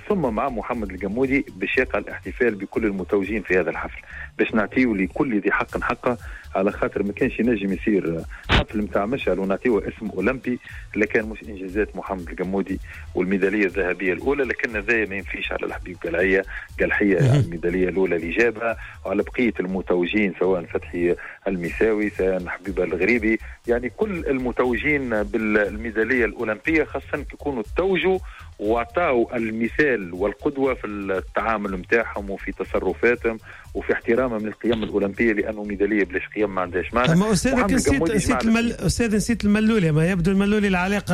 ثم مع محمد القمودي باش يقع الاحتفال بكل المتوجين في هذا الحفل، باش نعطيه لكل ذي حق حقه، على خاطر ما كانش ينجم يصير حفل نتاع مشعل ونعطيه اسم اولمبي لكان مش انجازات محمد القمودي والميداليه الذهبية الاولى، لكن هذا ما ينفيش على الحبيب قلعيه قلحيه الميداليه الاولى اللي جابها، وعلى بقية المتوجين سواء فتحي المساوي سواء حبيبه الغريبي، يعني كل المتوجين بالميداليه الاولمبية، خاصة كي يكونوا توجوا وعطاو المثال والقدوة في التعامل نتاعهم وفي تصرفاتهم وفي احترامهم للقيم الاولمبية، لانه ميدالية بلاش قيم ما عندهاش معنى. اما استاذ نسيت نسيت المل... استاذ نسيت الملولي، ما يبدو الملولي العلاقة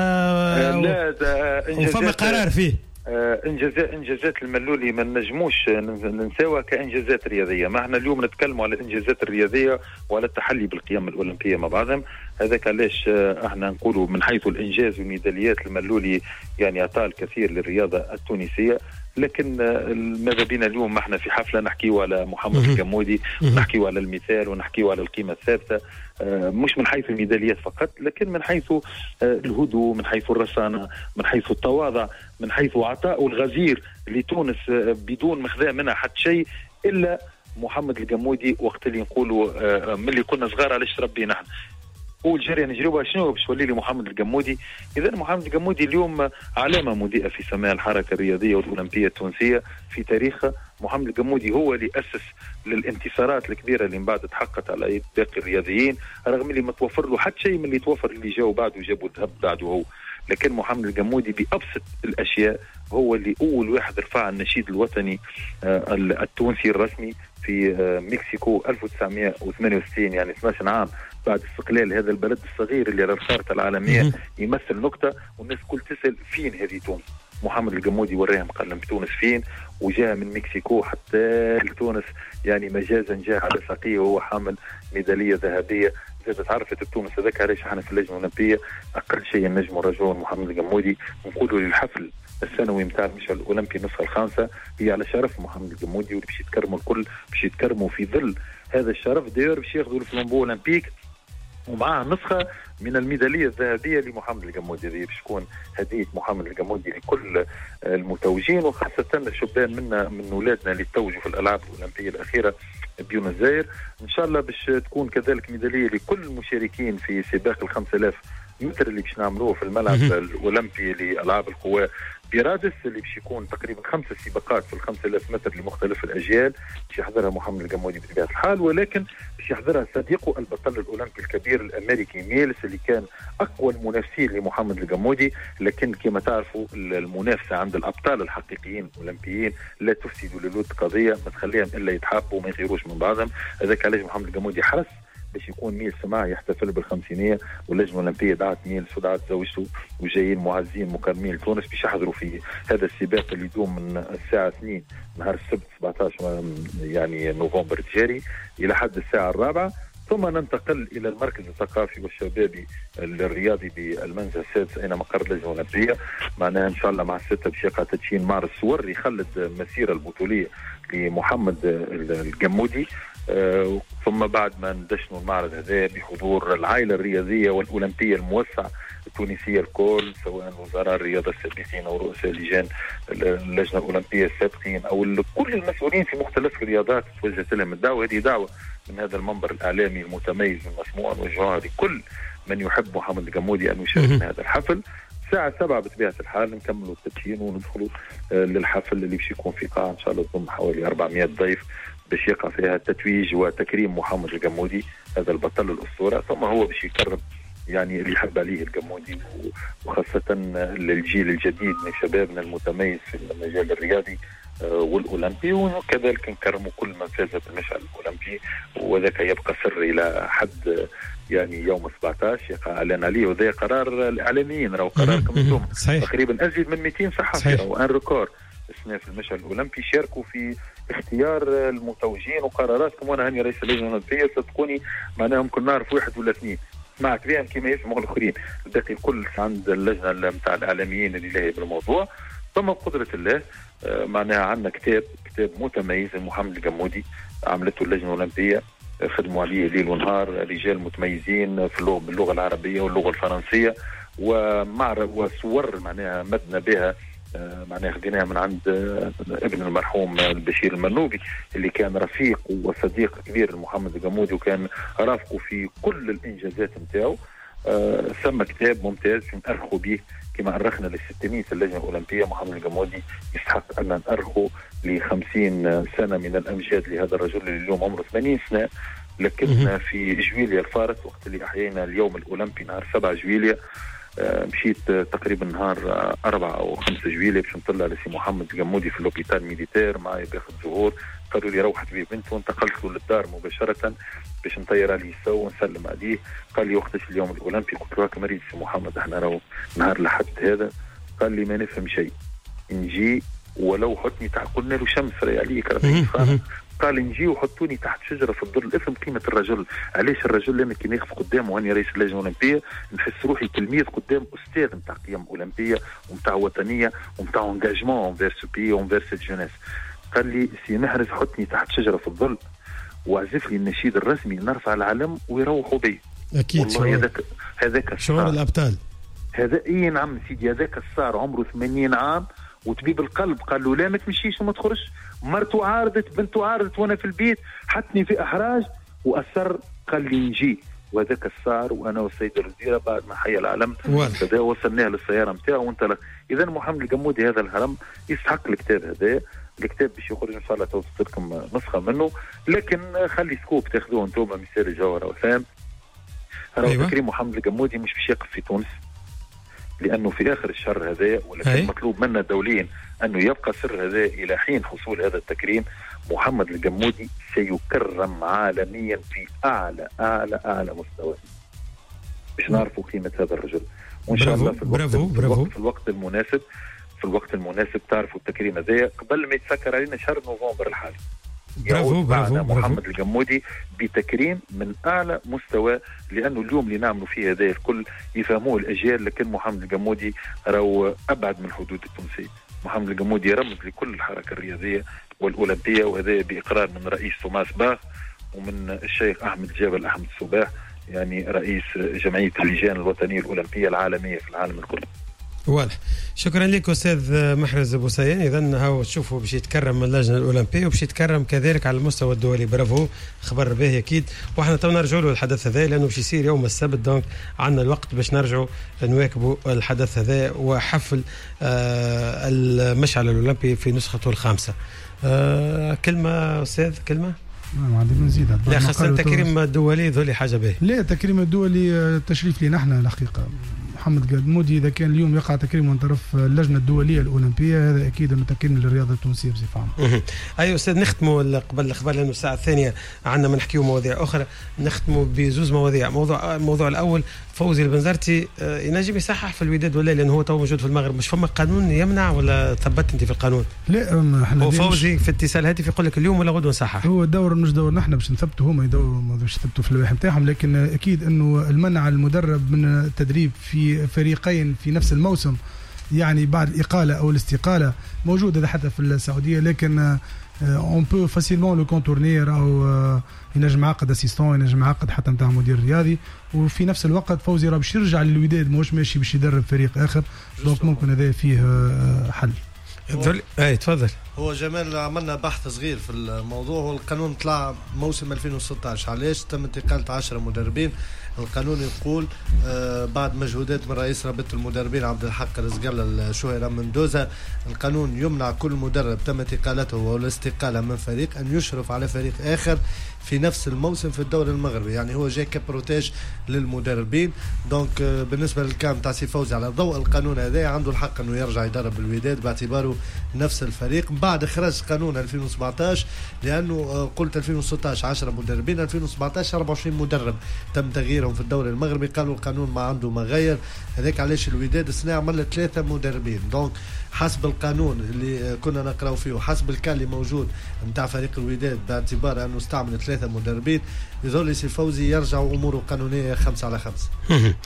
لا وفما قرار فيه. انجازات انجازات الملولي ما نجموش ننساوها كانجازات رياضية. ما احنا اليوم نتكلموا على الانجازات الرياضية وعلى التحلي بالقيم الاولمبية مع بعضهم، هذاك علاش احنا نقولوا من حيث الانجاز والميداليات الملولي يعني اعطى الكثير للرياضة التونسية. لكن ماذا بينا اليوم احنا في حفلة نحكيو على محمد القمودي، ونحكيو على المثال، ونحكيو على القيمة الثابتة، مش من حيث الميداليات فقط، لكن من حيث الهدوء، من حيث الرصانه، من حيث التواضع، من حيث عطاء الغزير لتونس بدون مخذاه منها حتى شيء الا محمد القمودي. وقت اللي نقولوا من اللي كنا صغار علاش ربينا احنا اول جري نجربها شنو باش تولي لي محمد القمودي. اذا محمد القمودي اليوم علامة مضيئة في سماء الحركة الرياضية والاولمبيه التونسية في تاريخها. محمد القمودي هو اللي اسس للانتصارات الكبيرة اللي من بعد تحققت على يد باقي الرياضيين، رغم اللي ما توفر له حتى شيء من اللي توفر اللي جاوا بعده وجابوا الذهب بعده هو. لكن محمد القمودي بأبسط الأشياء هو اللي أول واحد رفع النشيد الوطني التونسي الرسمي في مكسيكو ألف وتسعمائة وثمانية وستين، يعني اثنا عشر عام بعد استقلال هذا البلد الصغير اللي على الخارطة العالمية يمثل نقطة، والناس كل تسأل فين هذه تونس. محمد القمودي وراهم قال لهم تونس فين، وجاء من مكسيكو حتى لتونس، يعني مجازا جاء على ساقيه وهو حامل ميدالية ذهبية زادت عرفت بتونس. هذاك علاش احنا في اللجنة الأولمبية أقل شيء نجموا نرجعوا محمد القمودي ونقولوا للحفل السنوي نتاع المشعل الأولمبي النسخة الخامسة هي على شرف محمد القمودي، واللي باش يتكرموا الكل باش يتكرموا في ظل هذا الشرف. d'ailleurs باش ياخذوا ال flambeau olympique ومعاه نسخه من الميداليه الذهبية لمحمد القمودي. هذه باش تكون هديه محمد القمودي لكل المتوجين، وخاصة الشبان منا من اولادنا اللي توجوا في الالعاب الاولمبية الاخيرة بيونس ايرس. ان شاء الله باش تكون كذلك ميدالية لكل المشاركين في سباق ال خمسة آلاف متر اللي باش نعملوه في الملعب الاولمبي لالعاب القوى برادس، اللي باش يكون تقريبا خمسة سباقات في ال خمسة آلاف متر لمختلف الاجيال باش يحضرها محمد القمودي بطبيعة الحال، ولكن باش يحضرها صديقه البطل الاولمبي الكبير الامريكي ميلس اللي كان اقوى المنافسين لمحمد القمودي. لكن كما تعرفوا المنافسة عند الابطال الحقيقيين الاولمبيين لا تفسد للود قضية، ما تخليهم الا يتحابوا وما يغيروش من بعضهم. هذاك علاش محمد القمودي حرص باش يكون ميلس معه يحتفل بالخمسينيه، واللجنة الاولمبية دعت ميلس ودعت زوجته وجايين معزين مكرمين لتونس باش يحضروا في هذا السباق اللي يدوم من الساعة اثنين نهار السبت سبعة عشر يعني نوفمبر الجاري الى حد الساعة الرابعة. ثم ننتقل الى المركز الثقافي والشبابي الرياضي بالمنزه السادس اين مقر اللجنة الاولمبية. معناها ان شاء الله مع الستة باش يقع تدشين معرض صور يخلد المسيرة البطوليه لمحمد القمودي. آه، ثم بعد ما ندشنوا المعرض هذا بحضور العائلة الرياضية والاولمبيه الموسع التونسية الكل، سواء وزراء الرياضة السابقين او رؤساء لجان اللجنة الاولمبية السابقين او كل المسؤولين في مختلف الرياضات توجهت لهم الدعوة. هذه دعوه من هذا المنبر الاعلامي المتميز المسموع نوجهها لكل من يحب محمد القمودي ان يشارك في هذا الحفل. الساعة سبعة بطبيعة الحال نكملوا التدشين وندخلوا للحفل اللي باش يكون في قاعة إن شاء الله تضم حوالي أربعمائة ضيف باش يقع فيها التتويج وتكريم محمد القمودي هذا البطل الأسطورة. ثم هو باش يكرم يعني اللي يحب عليه القمودي، وخاصة للجيل الجديد من شبابنا المتميز في المجال الرياضي والأولمبي، وكذلك نكرموا كل من فاز بالمشعل الأولمبي، وذاك يبقى سر إلى حد يعني يوم سبعة عشر يقع اعلان عليه. وذا قرار الاعلاميين راهو قراركم انتم، تقريبا ازيد من مئتين صحفي او un record السنة في المشعل الاولمبي شاركوا في اختيار المتوجين وقراراتكم. وانا هاني رئيس اللجنة الاولمبية صدقوني معناها ممكن نعرف واحد ولا اثنين سمعت بهم كما يسمعوا الاخرين، الباقي الكل عند اللجنة نتاع الاعلاميين اللي لاهي بالموضوع. ثم بقدره الله معناها عندنا كتاب كتاب متميز لمحمد القمودي عملته اللجنة الاولمبية، خدموا عليه ليل ونهار رجال متميزين في اللغة باللغة العربية واللغة الفرنسية، ومع وصور معناها مدنا بها معناها خديناها من عند ابن المرحوم البشير المنوبي اللي كان رفيق وصديق كبير لمحمد القمودي وكان رافقه في كل الانجازات نتاعو. ثم كتاب ممتاز نأرخوا به كما أرخنا لل ستمائة اللجنة الأولمبية. محمد القمودي يستحق أن نأرخه ل خمسين سنة من الأمجاد لهذا الرجل اللي اليوم عمره ثمانين سنة. لكن في جويليا الفارس وقت اللي أحيينا اليوم الأولمبي نهار سبعة جويليا، مشيت تقريبا نهار أربعة أو خمسة جويليا باش نطلع لسي محمد القمودي في l'hôpital militaire معايا باخذ زهور. قالوا لي روحت بيه بنته وانتقلت له للدار مباشرة باش نطير عليه سو ونسلم عليه. قال لي وقتاش اليوم الأولمبي؟ قلت له هاك مريض سي محمد احنا راهو نهار لحد هذا. قال لي ما نفهم شيء، نجي ولو حطني تحت. قلنا له شمس راهي عليك ربي. قال نجي وحطوني تحت شجرة في الظل. افهم قيمة الرجل، علاش الرجل لما كي نقف قدامه واني رئيس اللجنة الاولمبية نحس روحي تلميذ قدام استاذ نتاع قيم اولمبيه ونتاع وطنية ونتاع engagement envers ce pays envers cette jeunesse. قال لي سي محرز حطني تحت شجرة في الظل وعزف لي النشيد الرسمي نرفع العلم ويروحوا بي. اكيد والله هذاك هذاك شعور الابطال هذا. اي نعم سيدي، هذاك الصار عمره ثمانين عام وطبيب القلب قال له لا ما تمشيش وما تخرجش. مرته عارضت، بنته عارضت، وانا في البيت حطني في احراج واصر قال لي نجي. وهذاك الصار وانا والسيد الوزيرة بعد ما حيا العلم كذا وصلناه للسيارة نتاعو وانطلق. اذا محمد القمودي هذا الهرم يستحق الكتاب هذا. الكتاب باش يخرج ان شاء الله توصل لكم نسخه منه، لكن خلي scoop تاخذوه انتم مسير الجوهرة وسام. راهو أيوة. تكريم محمد القمودي مش باش يقف في تونس لانه في اخر الشهر هذا، ولكن أي. مطلوب منا دوليا انه يبقى سر هذا الى حين حصول هذا التكريم. محمد القمودي سيكرم عالميا في اعلى اعلى اعلى مستوى باش نعرفوا قيمة هذا الرجل. وان شاء الله في الوقت, برافو في برافو. الوقت, في الوقت المناسب في الوقت المناسب تعرفوا التكريم هذا قبل ما يتسكر علينا شهر نوفمبر الحالي. برافو برافو محمد القمودي بتكريم من اعلى مستوى، لانه اليوم اللي نعملوا فيه هذا الكل يفهموه الاجيال، لكن محمد القمودي راهو ابعد من الحدود التونسية. محمد القمودي رمز لكل الحركة الرياضية والاولمبيه، وهذا باقرار من رئيس توماس باخ ومن الشيخ احمد جابر احمد الصباح. يعني رئيس جمعية اللجان الوطنية الاولمبية العالمية في العالم الكل. واضح. شكرا لك استاذ محرز بوسيان. اذا هاو تشوفوا باش يتكرم من اللجنة الاولمبية وباش يتكرم كذلك على المستوى الدولي. برافو، خبر باهي اكيد. واحنا تو نرجعوا له الحدث هذا لانه باش يصير يوم السبت، donc عندنا الوقت باش نرجعوا نواكبوا الحدث هذا وحفل آه المشعل الاولمبي في نسخته الخامسة. آه كلمة استاذ، كلمة ما عندي ما نزيد. لا خاصة التكريم الدولي ذولي حاجة باهيه. لا التكريم الدولي تشريف لنا احنا الحقيقة. محمد قدمودي اذا كان اليوم يقع تكريم من طرف اللجنة الدولية الاولمبية هذا اكيد انه تكريم للرياضة التونسية بصفة عامة. ايوه استاذ، نختموا قبل الاخبار لانه الساعة الثانية عندنا ما نحكيو مواضيع اخرى. نختموا بزوز مواضيع. موضوع الموضوع الاول فوزي البنزرتي ينجم يصحح في الوداد ولا، لانه هو تو موجود في المغرب، مش فما قانون يمنع ولا ثبت انت في القانون؟ لا احنا فوزي في اتصال هاتفي يقول لك اليوم ولا غدوه نصحح. هو الدور مش دور نحن باش نثبتوا، هما يدوروا باش يثبتوا في اللوائح نتاعهم، لكن اكيد انه المنع المدرب من التدريب في فريقين في نفس الموسم يعني بعد الإقالة أو الاستقالة موجود هذا حتى في السعودية، لكن on peut facilement le contourner. راهو ينجم عقد assistant، ينجم عقد حتى نتاع مدير رياضي، وفي نفس الوقت فوزي راه باش يرجع للوداد ماهوش ماشي باش يدرب فريق آخر، donc ممكن هذا فيه حل. اي تفضل. هو جمال عملنا بحث صغير في الموضوع، والقانون طلع موسم ألفين وستة عشر. علاش تم انتقال عشرة مدربين؟ القانون يقول آه بعد مجهودات من رئيس رابطة المدربين عبد الحق رزق الله الشهيرة مندوزة، القانون يمنع كل مدرب تم انتقالته والاستقالة من فريق أن يشرف على فريق آخر في نفس الموسم في الدوري المغربي. يعني هو جاي ك protège للمدربين. donc آه بالنسبة لل cas تاع سي فوزي على ضوء القانون هذا عنده الحق أنه يرجع يدرب الوداد باعتباره نفس الفريق. بعد خرج قانون ألفين وسبعة عشر، لأنه قلت ألفين وستة عشر عشرة مدربين، ألفين وسبعة عشر أربعة وعشرين مدرب تم تغييرهم في الدوري المغربي. قالوا القانون ما عنده ما غير هذاك، علاش الوداد السنة عمل ثلاثة مدربين. donc حسب القانون اللي كنا نقراو فيه وحسب ال cas اللي موجود نتاع فريق الوداد باعتبار انه استعمل ثلاثة مدربين، يظل سي فوزي يرجع اموره قانونية خمسة على خمسة.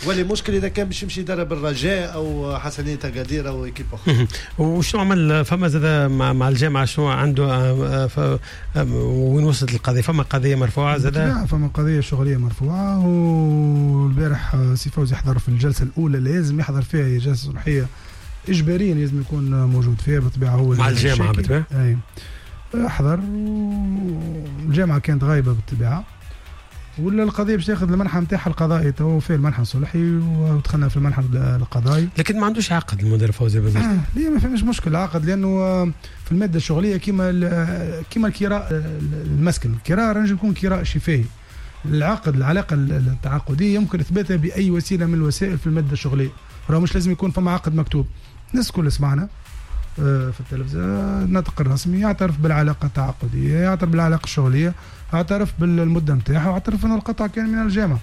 ولي مشكل اذا كان باش يمشي يدرب الرجاء او حسنية أكادير او équipe اخرى. وشنو عمل فما زاد مع, مع الجامعة، شنو عنده وين وصلت القضية؟ فما قضية مرفوعة زاد؟ فما قضية شغليه مرفوعة، والبارح سي فوزي حضر في الجلسة الاولى اللي لازم يحضر فيها، هي جلسه صبحيه اجباريا لازم يكون موجود فيها بالطبيعة، هو مع الجامعة بالطبيعة. اي حضر، والجامعة كانت غايبة بالطبيعة، ولا القضية باش تاخذ المنحى نتاعها القضائي، تو فيه المنحى الصلحي ودخلنا في المنحى القضائي. لكن ما عندوش عقد المدرب فوزي بنزرتي. آه ليه ما فماش مشكل عقد، لانه في المادة الشغليه كيما كيما الكراء المسكن، الكراء راه يكون كراء شفاهي. العقد العلاقة التعاقديه يمكن اثباتها باي وسيلة من الوسائل في المادة الشغليه، راه مش لازم يكون فما عقد مكتوب. الناس الكل سمعنا في التلفزة الناطق الرسمي يعترف بالعلاقة التعاقدية، يعترف بالعلاقة الشغلية، اعترف بالمدة نتاعها، واعترف أن القطع كان من الجامعة.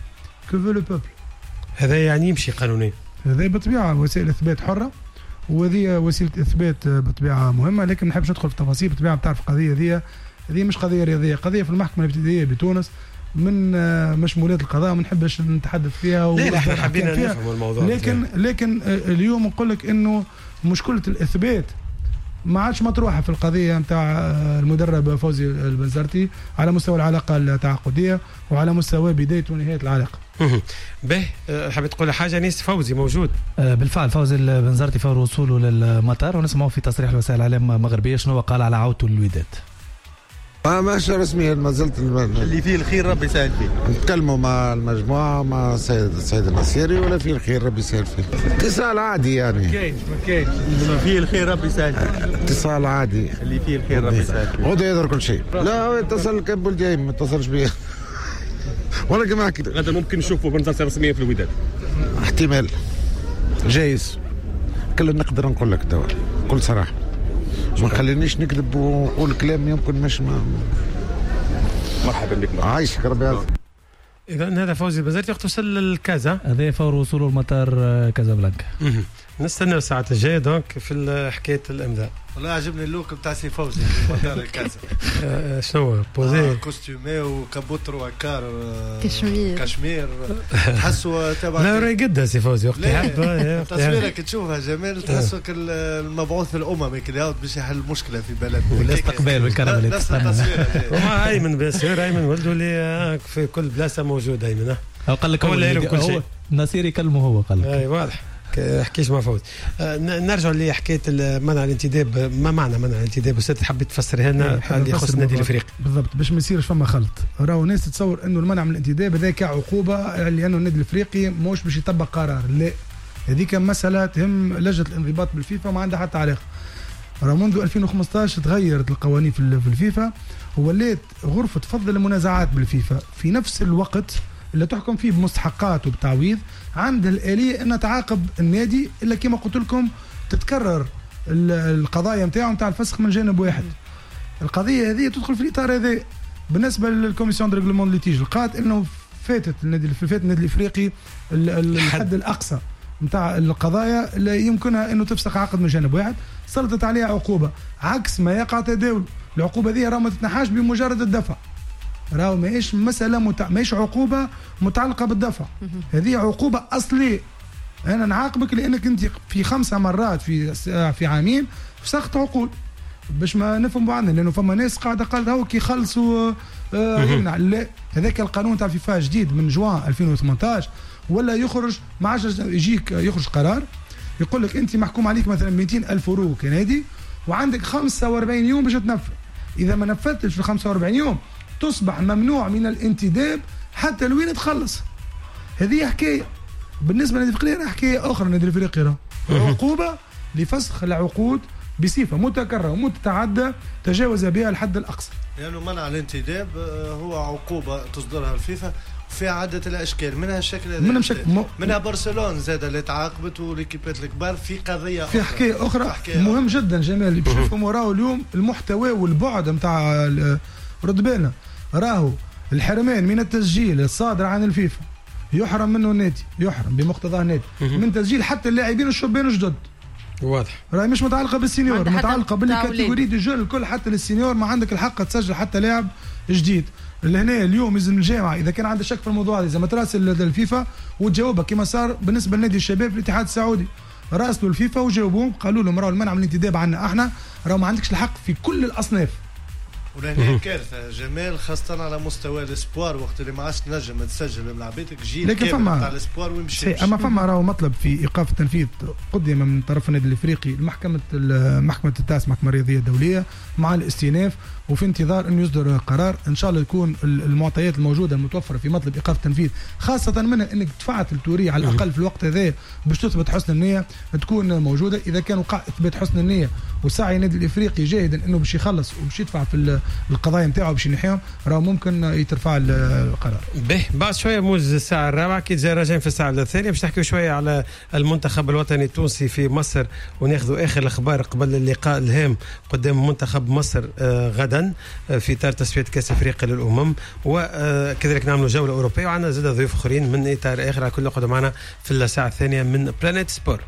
que veut le peuple. هذا يعني يمشي قانونيا. هذا بالطبيعة وسائل إثبات حرة، وهذه وسيلة إثبات بالطبيعة مهمة، لكن ما نحبش ندخل في التفاصيل. بالطبيعة بتعرف القضية هذه هذه مش قضية رياضية، قضية في المحكمة الابتدائية بتونس من مشمولات القضاء، ما نحبش نتحدث فيها. لا احنا حبينا نفهم الموضوع. لكن لكن اليوم نقول لك انه مشكلة الإثبات ما عادش مطروحة في القضية نتاع المدرب فوزي البنزرتي على مستوى العلاقة التعاقديه وعلى مستوى بداية ونهاية العلاقة. به حبيت تقول حاجة نيس؟ فوزي موجود. بالفعل فوزي البنزرتي فور وصوله للمطار، ونسمعه في تصريح لوسائل الاعلام المغربية شنو قال على عودته للوداد. ما ماشي رسميا، ما زلت اللي فيه الخير ربي يسهل فيه. نتكلموا مع المجموعة مع السيد السيد النصيري، ولا فيه الخير ربي يسهل فيه. اتصال عادي يعني. ما كاينش ما كاينش اللي فيه الخير ربي يسهل فيه. اتصال عادي. اللي فيه الخير ربي يسهل فيه. غدا يظهر كل شيء. لا هو اتصل كان بولدي ما اتصلش بيا. ولا كما حكيت. غدا ممكن نشوفوا بنزرتي رسميا في الوداد. احتمال جايز. كل نقدر نقول لك توا بكل صراحة. ما خلينيش نكذب ونقول كلام يمكن مش ما... مرحبا بك. عايشك ربي يعزك. اذا هذا فوزي البنزرتي وقت وصل للكازا، هذا فور وصوله لمطار كازابلانكا. نستنى الساعة الجاية donc في حكاية الامضاء. والله عجبني ال look بتاع سي فوزي في مطار الكازا. شنو posé؟ آه costumé و capote trois quarts كشمير كشمير تحسوا تبع. لا راه يقدها سي فوزي وقت يحب. تصويرك تشوفها جمال، تحسوا المبعوث الاممي كي يعاود باش يحل مشكلة في بلدنا. والاستقبال والكرم اللي تستنى. ومع ايمن bien sûr، ايمن ولده اللي في كل بلاصة موجود ايمن. هو قال لك هو اللي يعرف كل شيء. نصير يكلمه هو قال لك. اي واضح، حكيش مع فوز. نرجع لحكاية منع الانتداب. ما معنى منع الانتداب استاذ؟ حبيت تفسرها لنا اللي يخص النادي الافريقي بالضبط باش ما يصيرش فما خلط. راهو ناس تتصور انه المنع من الانتداب هذاك عقوبه لانه النادي الافريقي موش باش يطبق قرار، لا، هذيك مسالة تهم لجنة الانضباط بالفيفا وما عندها حتى علاقة. راه منذ ألفين وخمسطاش تغيرت القوانين في الفيفا وولات غرفة فض المنازعات بالفيفا في نفس الوقت اللي تحكم فيه بمستحقات وبتعويض، عندها الآلية أن تعاقب النادي إلا كما قلت لكم تتكرر القضايا نتاعو نتاع الفسخ من جانب واحد. القضية هذه تدخل في الإطار هذا. بالنسبة لل commission de règlement litiges لقات أنه فاتت النادي فات النادي الإفريقي الحد الأقصى نتاع القضايا اللي يمكنها أنه تفسخ عقد من جانب واحد، سلطت عليها عقوبة عكس ما يقع تداول. العقوبة هذه راه ما تتنحاش بمجرد الدفع، راهو ماهيش مسألة متع... ماهيش عقوبة متعلقة بالدفع، هذه عقوبة أصلية. أنا نعاقبك لأنك أنت في خمسة مرات في في عامين فسخت عقود، باش ما نفهم بعضنا، لأنه فما ناس قاعدة قالت هاو كي خلصوا آه يمنع. لا، هذاك القانون تاع فيفا جديد من جوان ألفين وثمنطاش ولا يخرج ما عادش يجيك يخرج قرار يقول لك أنت محكوم عليك مثلا مئتين ألف يورو كنادي وعندك خمسة وأربعين يوم باش تنفذ، إذا ما نفذتش في خمسة وأربعين يوم تصبح ممنوع من الانتداب حتى لوين تخلص. هذه حكاية. بالنسبة للنادي الافريقي حكاية اخرى. النادي الافريقي عقوبه لفسخ العقود بصفة متكررة ومتعددة تجاوز بها الحد الاقصى. لانه يعني منع الانتداب هو عقوبه تصدرها الفيفا في عدة الأشكال، منها الشكل هذا، منها, شك... منها برشلونة زاد اللي تعاقبت والإكيبات الكبار في قضية في حكاية أخرى. حكاية مهم جدا جمال باش نفهموا راهو اليوم المحتوى والبعد نتاع رد بالنا، راهو الحرمان من التسجيل الصادر عن الفيفا يحرم منه النادي، يحرم بمقتضى النادي من تسجيل حتى اللاعبين الشبان الجدد. واضح راهي مش متعلقه بال seniors، متعلقه بال catégories des jeunes الكل، حتى لل seniors ما عندك الحق تسجل حتى لاعب جديد. لهنا اليوم لازم الجامعة اذا كان عندها شك في الموضوع هذا لازم تراسل الفيفا وتجاوبها، كما صار بالنسبة لنادي الشباب في الاتحاد السعودي، راسلوا الفيفا وجاوبوهم قالوا لهم راهو المنع من الانتداب عندنا احنا، راهو ما عندكش الحق في كل الاصناف. ولهنا كارثة جمال، خاصة على مستوى ال espoirs وقت اللي ما عادش تنجم تسجل ملاعبيتك جيل كامل تاع ال espoirs ويمشي. اما فما راهو مطلب في ايقاف التنفيذ قدم من طرف النادي الافريقي لمحكمة محكمة التاس، محكمة الرياضية الدولية، مع الاستئناف، وفي انتظار انه يصدر قرار ان شاء الله يكون المعطيات الموجودة المتوفرة في مطلب ايقاف التنفيذ، خاصة منها انك دفعت التورية على الاقل في الوقت هذا باش تثبت حسن النية تكون موجودة. اذا كان وقع اثبات حسن النية وسعي النادي الافريقي جاهدا انه باش يخلص وباش يدفع في القضايا نتاعو باش ينحيهم، راه ممكن يترفع القرار. به بعد شوية موجز الساعة الرابعة كي تجي راجعين في الساعة الثانية باش نحكيو شوية على المنتخب الوطني التونسي في مصر وناخذوا اخر الاخبار قبل اللقاء الهام قدام منتخب مصر غدا في اطار تصفية كاس افريقيا للامم، وكذلك نعملوا جولة اوروبية وعندنا زاد ضيوف اخرين من اطار اخر. على كل قعدوا معنا في الساعة الثانية من بلانيت سبور.